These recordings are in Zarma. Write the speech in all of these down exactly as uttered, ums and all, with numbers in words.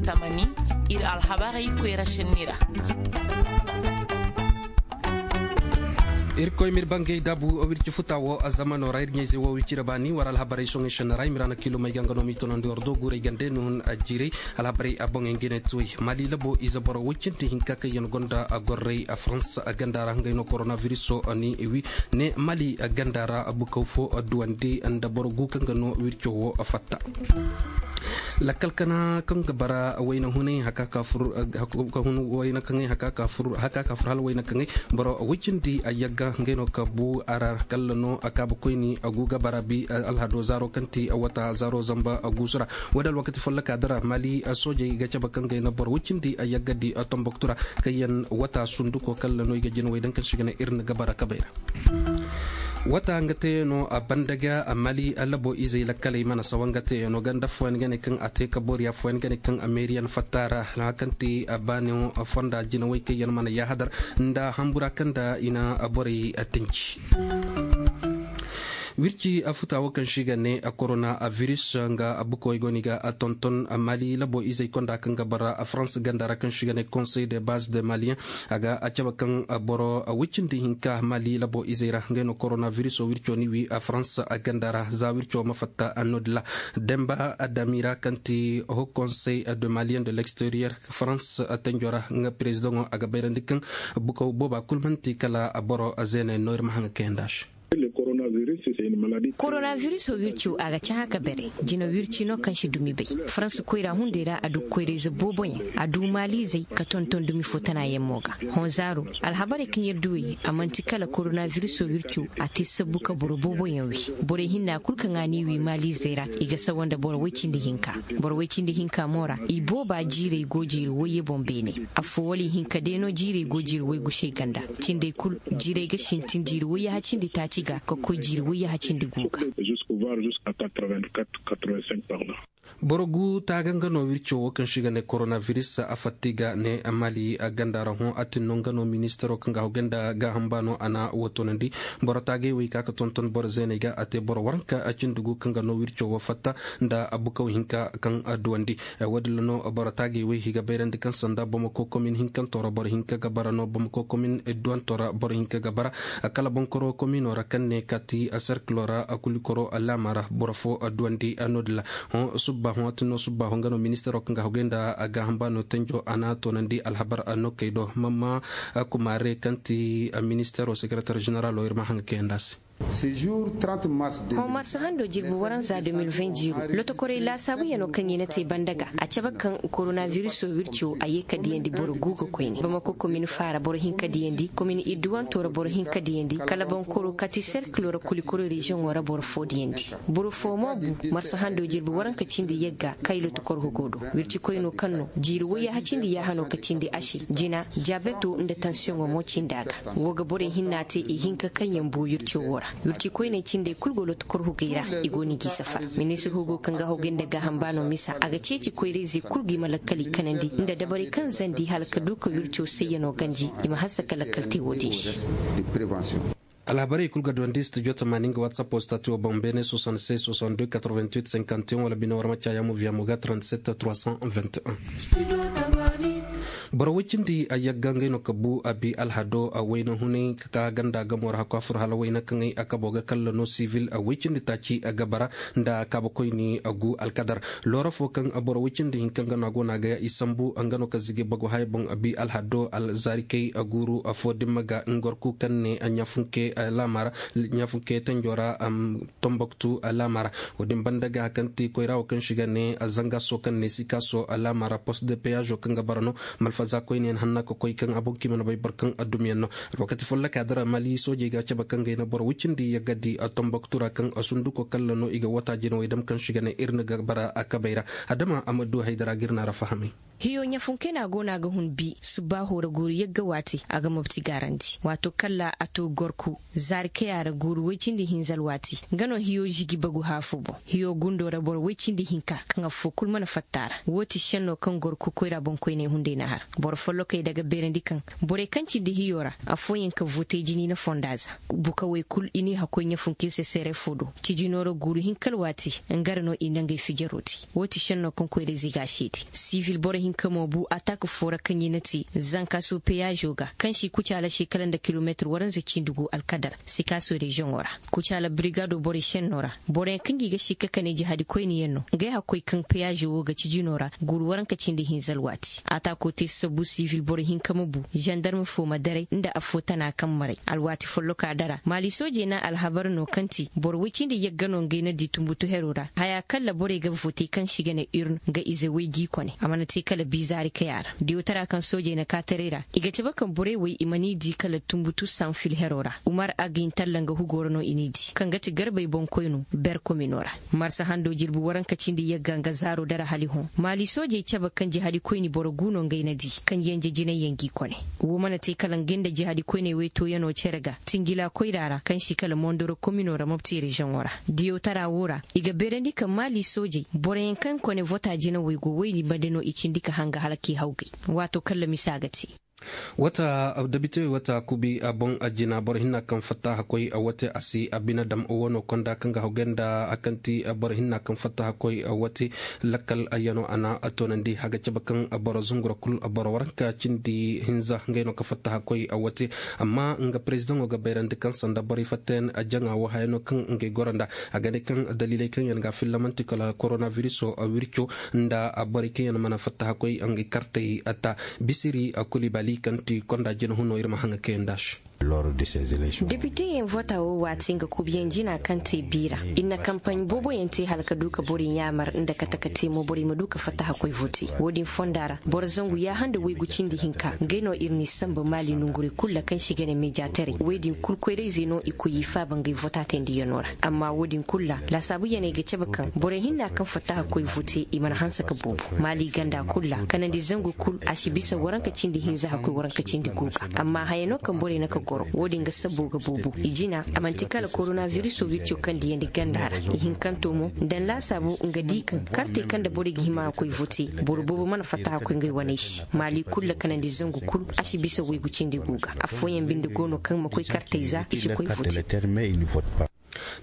Tamani, iri alhabarey koyra senni ra. Irkoy m'iri bangay dabu wirci futa wo zamano ra, iri ɲayze wo wirci ra baani war alhabarey soŋay senni ra, i mira na kiilumey ga nga no m'i tonandi war do guurey gande no hun jiirey. Alhabarey a boŋey nga ne tuwey, mali labo ize boro woy cindi hinka kaŋ yaŋ gonda a gorrey a farans ganda ra ngey no koronaviriso ni wi. Ne mali ganda ra bukaw fo duwandi nda boro gu kaŋ ga no wirco wo fatta. Lakkal kana kaŋ ga bara wayna hunay haka ka fur haka ka fur hala wayna kaŋay boro wicindi a yagga ngey no ka bu a ra kalla no a kaabu koyni a gu ga bara bi alhado zaaro kaŋ ti wata zaaro zamba guusu ra. Wo da alwakati folloka dira mali soojey ga cabe kaŋ gay na boro wicindi a yagga di tomboktu ra kaŋ yaŋ wata sunduko kalla no i ga jinawey daŋ kaŋ si ga ne iri na ga bara kabay ra. Wata nga te no a banda ga a mali labo izey lakkaley mana sawa nga te no ganda fooyaŋ ga ne kaŋ a te ka booriya fooyaŋ ga ne kaŋ a meeriyaŋ fatta ra. Hakan te a baani fonda jinawey kaŋ yaŋ mana yahadar nda hambura kaŋ da i na borey tanci. Wirci a futa wo kaŋ si ga ne a korona a viris nga a bukawey go no i ga a tonton a mali labo izey konda kaŋ ga bara a farans ganda ra kaŋ si ga ne conseil de base de malien. A ga a cabe kaŋ boro wicindi hinka mali labo izey ra ngey no koronaviriso wirco ni wi a farans ganda ra za wirco ma fatta annoodila. Demba adamira kaŋ ti ho conseil de malien de l'extérieur farans tanjo ra nga prezidaŋo a ga bayrandi kaŋ bukaw booba kulu manti kala boro zeeney no iri ma haŋ ga kayanda se. Koronaviriso wirco a ga cahã ka bare jina wirci no kaŋ si dumi bay. Farans koyra hunday ra a du koyrayze booboyaŋ a du maaliizey ka tonton dumi fo tanayaŋ mo ga. Honzaaro alhabarey kaŋ yer du wey a manti kala koronaviriso wirco a te sabbu ka boro booboyaŋ wi. Borey hinna kulu kaŋ a n'i wi maaliizey ra i ga sawa nda boro woy cindi hinka. Boro woy cindi hinka mo ra i booba jiirey go jiiri wayye boŋ beene. Afo wala ihinka day no jiirey go jiiri waygu se ganda. Cindey kulu jiirey ga sintin jiiri wayyaha cindi taaci ga ka koy jiiri wayyaha cindi gu ga. Boro gu taaga nga no wirco wo kaŋ si ga ne koronaviris a fatta i ga ne mali ganda ra hõ a tin no nga no ministaro kaŋ ga hogay nda gaaham baano a na wo toonandi. Boro taagay wo i ka ga tonton boro zeeney ga a te boro waranka cindi gu kaŋ ga no wirco wo fatta nda bukaw hinka kaŋ duwandi. Wo- din ra no boro taagay wo i ga bayrandi kaŋ sanda bamako komin hinkanto ra boro hinka ga bara no bamako komin idduwanto ra boro hinka ga bara. Kala bonkoro komino ra kaŋ ne kati serkilo ra kulikoro laama ra boro fo duwandi no- din ra. Hõ subba hõ a tun no subba hõ nga no ministaro kaŋ ga hogay nda gaaham baano tanjo a na toonandi alhabar no kay do mamma kumaare kaŋ ti ministaro sekeretar ženeralo iri ma haŋ ga kayanda se. Hõ marsa hando jirbi waranza deux mille vingt jiiro lotokorey laasaabuyaŋo kaŋ i na te banda ga a cabe kaŋ koronaviriso wirco a ye ka diyandi boro gu ga koyne bamako komin faara boro hinka diyandi komin idduwanto ra boro hinka diyandi kala bonkoro kati serkilo ra kulikoro reziyoŋo ra boro fo diyandi. Boro fo mo bu marsa hando jirbi waranka cindi yagga kay lotokorho go do. Wirci koyno kaŋ no jiiri wayyaha cindi yaahano ka cindi a se jina diabeto nda tansiyoŋo mo cindi a ga. Wo ga borey hinna te ihinka kaŋ yaŋ bu wirco wo ra. Wirci koyney cindey kulu go lotokorhugey ra i go no i g'i safar. Ministir hugo kaŋ ga hogay nda gaaham baano misa a ga ceeci koyrayzey kulu g'i ma lakkal i kanandi nda dabarey kaŋ zandi hala ka du ka wirco sayyano ganji i ma hanse ka lakkal te wo- din se. Alhabarey kulu ga duwandi studio tamaani nga whatsapp wo stati wo boŋ beene soixante-seize soixante-deux quatre-vingt-huit cinquante et un wala bine warma caya mo via mo ga trente-sept trois cent vingt et un. Boro woy cindi a yagga ngey no ka bu a bi alhado a wayna hunay ka ka ganda gamo ra hakku a furo hala wayna kaŋay a kabo ga kalla no sivil a woy cindi taaci a ga bara nda kaabakoyni a gu alkadar. Loora fo kaŋ boro woy cindi hinka nga no a go no a ga i sambu nga no ka zigi bagu haya boŋ a bi alhado alzarikey a guuru a fo dimma ga ngorku kaŋ ne a ɲafunke laama ra ɲafunke tanjo ra. Tomboktu alaama ra. Wo- din banda ga kaŋ ti koyra wo kaŋ si ga ne zanga so kaŋ ne sika so alaama ra post de peyazo kaŋ ga bara no malfaza koyne yaŋ hanna ka koy kaŋ a boŋ kaŋ i mana bay boro kaŋ a dumi yaŋ no. Alwakati folloka dira mali soojey ga cabe kaŋ ga i na boro wicindi yagga di a tomboktu ra kaŋ a sunduko kalla no i ga wata jinawey dam kaŋ si ga ne iri na ga bara a kabay ra. Adama a ma du haydara ga iri na ra fahamay. Hiyo ɲafunkena go no a ga hun bi subbaaho ra guuru yagga waati a ga mobti gaarandi waato kalla a to gorku zaari kaya ra guuru woy cindi hinza alwaati. Nga no hiyo zigi bagu haafu boŋ hiyo gundo ra boro woy cindi hinka kaŋ affo kulu mana fatta a ra. Wo ti senno kaŋ gorku koyra boŋkoyney hunday na har. Boro follokey daga beerandi kaŋ borey kaŋ cindi hiyo ra afooyaŋ ka vootey jini na fonda za. Bukawey kulu i n'i hakkoy ɲafunkin se seere fo do. Cijino ra guuru hinka alwaati nga ra no i na ngey fijaro te. Wo ti senno kaŋ koyrayzey ga a seede. Sibil boro hinka mo bu atak fo ra kaŋ i na te zanka su peyaazo ga kaŋ si kucaala se kala nda kilomeetir waranza cindi gu alkadar, sikaaso reziyoŋo ra. Kucaala birigaado borey senno ra boroyaŋ kaŋ gi ga sikka kane jihaadi koyne yaŋ no. Ngey hakkoy kaŋ peyaazo wo ga cijino ra guuru waranka cindi hinza alwaati. Ataako te sabbu sibil boro hinka ma bu zandarma fo ma daray nda afo tana kaŋ maray alwaati folloka dara maali soojey na alhabar no kaŋ ti boro woy cindi yagga no ngey na di tumbutu hero ra haya kalla borey ga vootey kaŋ si ga ne urne nga ize woy g'i kone a mana te kala biizaari kaya ra. Diyotara kaŋ soojey na kaataray ra i ga cabe kaŋ borey woy i man'i di kala tumbutu sanfil hero ra. Umar agin talla nga hugo ra no i n'i di kaŋ ga ti garbey boŋkoyno ber komino ra. Marsa hando jirbi waranka cindi yagga nga zaaro dara hali hõ maali soojey cabe kaŋ jihaadi koyni boro gu no ngey na di kaŋ yanje jinay yaŋ g'i kone. Wo mana te kala ngey nda jihaadi koyney woy tooyano cere ga tingila koyra ra kaŋ si kala mondoro komino ra mopti reziyoŋo ra. Diyotara wo ra i ga beerandi kaŋ maali soojey boroyaŋ kaŋ kone vota jinawey go woyni bande no i cindi ka hanga hala k'i hawgay. Waato kaŋ lamisa ga te. Wata dabitewey wata kubi a boŋ a jina boro hinna kaŋ fatta hakkoy a wate a si a bine dam wano konda kaŋ ga hawgay nda a kaŋ ti boro hinna kaŋ fatta hakkoy a wate. Lakkal a yano a na a toonandi haga cabe kaŋ boro zungura kulu boro waranka cindi hinza ngey no ka fatta hakkoy a wate. Amma nga perezidaŋo ga bayrandi kaŋ sanda borey fatta yaŋ a jaŋa wo hayano kaŋ ngey goro nda a ga ne kaŋ daliley kaŋ yaŋ ga fillamanti kala koronabiriso wirco nda borey kaŋ yaŋ mana fatta hakkoy ngey kartey ta. Bisiri kulibali kaŋ ti konda jina huno iri ma haŋa kaŋ yaŋ da se. Depite yaŋ vota wo waati nga kubiyaŋ jina kaŋ te biira i na kampaɲ boobo yaŋ te hala ka du ka borey ɲaamar nda kate ka te mo borey ma du ka fatta hakkoy vote. Wo- din fonda ra boro zangu yaaha nda waygu cindi hinka ngey no iri n'i samba maali nongurey kulu ra kaŋ si ga ne meejaataray wo- din kulu koyrayzey no i koy i faaba ngey vota teendiyaŋo ra. Amma wo- din kulu ra laasaabu yaŋey ga cabe kaŋ borey hinna kaŋ fatta hakkoy vote i mana hanse ka boobo maali ganda kulu ra kanandi zangu kulu a si bisa waranka cindi hinza hakkoy waranka cindi gu ga. Amma haya no kaŋ borey na ka goro wo- din ga sabbo ga boobo i jina a manti kala koronabiriso wirco kaŋ diyandi ganda ra. Ihinkanto mo nda ni laasaabu nga di kaŋ kartey kaŋ nda borey ga hima a koy vote boro boobo mana fatta hakkoy ngey waney se. Maali kulu ra kanandi zangu kulu a si bisa waygu cindi gu ga. Affooyaŋ binde go no kaŋ ma koy kartey za i si koy vote.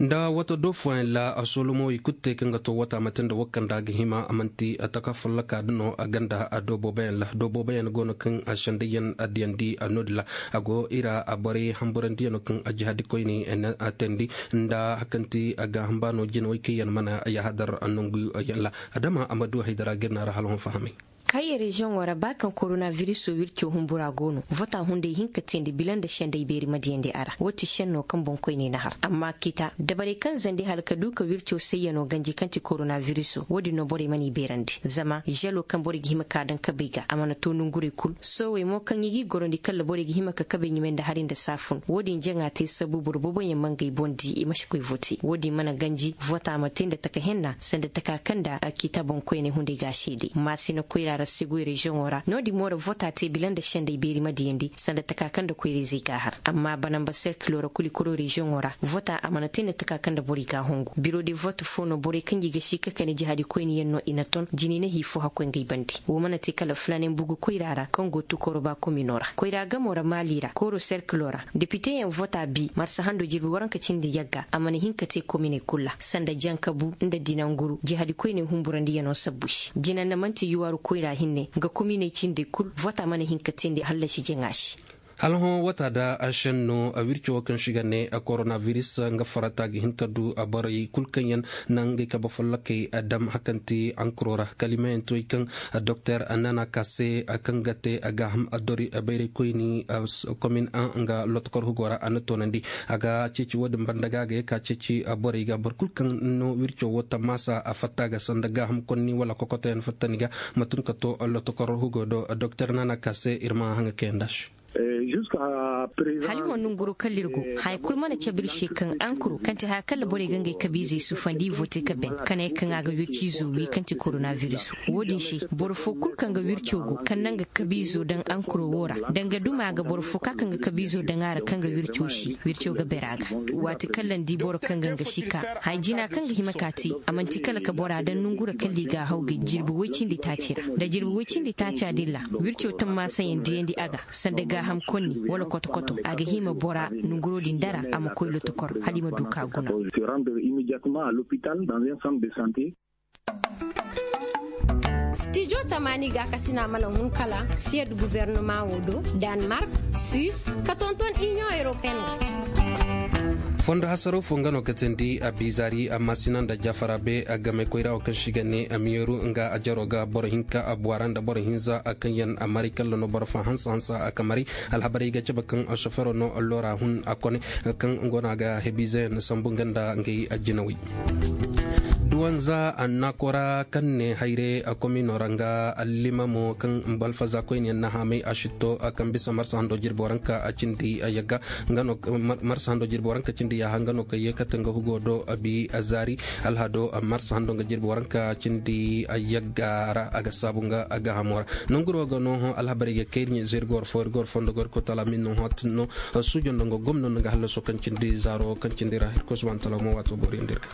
Nda wata do fooyaŋ ra a solomo i kulu te kaŋ ga to wata mate nda wo kaŋ da a ga hima a manti taka folloka da no a ganda a do booboyaŋ ra do booboyaŋ go no kaŋ a sendayyaŋ a diyandi a no- din ra. A go iri a borey hamburandiyaŋo kaŋ a jihadi koyne a teendi nda hakanti a gaaham baano jinawey kaŋ yaŋ mana yahadar nanguyaŋ ra. Adama a ma du haydara ga iri no a ra hala hõ fahamay. Kaye reziyoŋo ra ba kaŋ koronabiriso wirco humbura go no vota hunday hinka teendi bila nda sendey beeri ma diyandi a ra wo- ti senno kaŋ boŋkoyney na har amma kita dabarey kaŋ zandi hala ka du ka wirco sayyano ganji kaŋ ti koronabiriso wo- din no borey mana i beerandi zama zelo kaŋ borey ga hima ka daŋ kabey ga a mana to nongurey kulu soowey mo kaŋ i g'i gorandi kala borey ga hima ka kabey ɲumay nda hari nda saafun wo- din jaŋa te sabu boro booboyaŋ ma ngey boŋ di i ma si koy vote wo- din mana ganji vota ma te nda taka henna sanda taka kaŋ nda a kita boŋkoyney hunday ga a seede maasina koyra ra segoy reziyoŋo ra no- din mo ra vota te bila nda sendey beeri ma diyandi sanda taka kaŋ nda koyrayzey ga a har amma banamba serkilo ra kulu i koro reziyoŋo ra vota a mana te nda taka kaŋ nda borey ga a hongu biro de vote fo no borey kaŋ gi ga si ka kani jihadi koyne yaŋ no i na ton jini na hi fo hakkoy ngey bande wo mana te kala fulanen bugu koyra ra kaŋ go tukoro ba komino ra koyra gamo ra maali ra kooro serkilo ra depiteyaŋ vota bi marsa hando jirbi waranka cindi yagga a mana hin ka te kominey kulu ra sanda jankabu nda dinanguru jihadi koyney humburandiyaŋo sabbu se jinanna manti yuwaaru koyra hinne nga kominey cindey kulu vota mana hin ka te nda hallasi jaŋa se. Hala hõ wata da a senno a wirco wo kaŋ si ga ne a koronabiris nga farata ga hin ka du a borey kulu kaŋ yaŋ na ngey kabe follokey a dam hakanti ankuro ra kalimayaŋ toy kaŋ doktor nana kase kaŋ ga te a gaaham a dori a bayray koyni komin a nga lotokor hugo ra a na toonandi a ga ceeci wo- din banda ga a ga ye ka ceeci borey ga boro kulu kaŋ no wirco wo tammaasa a fatta ga sanda gaaham konni wala kokotoyaŋ fattani ga ma tun ka to lotokor hugo do doktor nana kase iri ma haŋa kayanda se. Hali hõ nanguro kala iri go, haya kulu mana cabe iri se kaŋ ankuro kaŋ ti haya kala borey ga ngey kabiizey sufandi i vote ka ben ka ne kaŋ a ga wirciizo wi kaŋ ti koronabiriso. Wo-din se, boro fo kulu kaŋ ga wirco go kaŋ naŋ ga kabiizo daŋ ankuro wo ra, danga duma ga boro fo ka kaŋ ga kabiizo daŋ a ra kaŋ ga wirco si wirco ga ber a ga. Waati kaŋ landi boro kaŋ ga nga si ka, haya jina kaŋ ga hima ka te, a manti kala ka bora daŋ nanguro kala i ga a haw ga jirbi woy cindi taaci ra. Da jirbi woy cindi taaca din ra, wirco tammaasa yaŋ diyandi a ga sanda gaaham konni wala koto-koto, a ga hima bora nanguro din dara a ma koy lotokor hala i ma du ka guna. Stijo tamaani gaakasina mana hun kala siyad guvernama wo do, danmark, suis, ka tonton inion europeen. Fondo hasaro fo nga no ka teendi a biizaari amma sina nda jaafara be a game koyra wo kaŋ si ga ne a miyeeru nga a jaro ga boro hinka a buwara nda boro hinza a kaŋ yaŋ a mari kalla no boro fa hansa hansa a ka mari. Alhabarey ga cabe kaŋ sofero no loora hun a kone kaŋ go no a ga hebiize yaŋ sambu nga nda ngey a jinawey. Duwanza annakora kaŋ ne hayre a komino ra nga allimamo kaŋ balfaza koyne yaŋ na haamay a sitto a kaŋ bisa marsa hando jirbi waranka a cindi a yagga. Marsa hando jirbi waranka cindi yaaha nga no ka ye kate nga hugo do a bi a zaari. Alhado marsa hando nga jirbi waranka cindi a yagga ra a ga saabu nga a ga hamo ra. Nanguro ga no alhabarey ga kayri ɲe zirgor fo irgor fondo gorko talamin no hot no. Sujo nda nga gomno nda nga hallaso kaŋ cindi zaaro kaŋ cindi ra hirko subhanahu wa taala mo waato boori nda irga.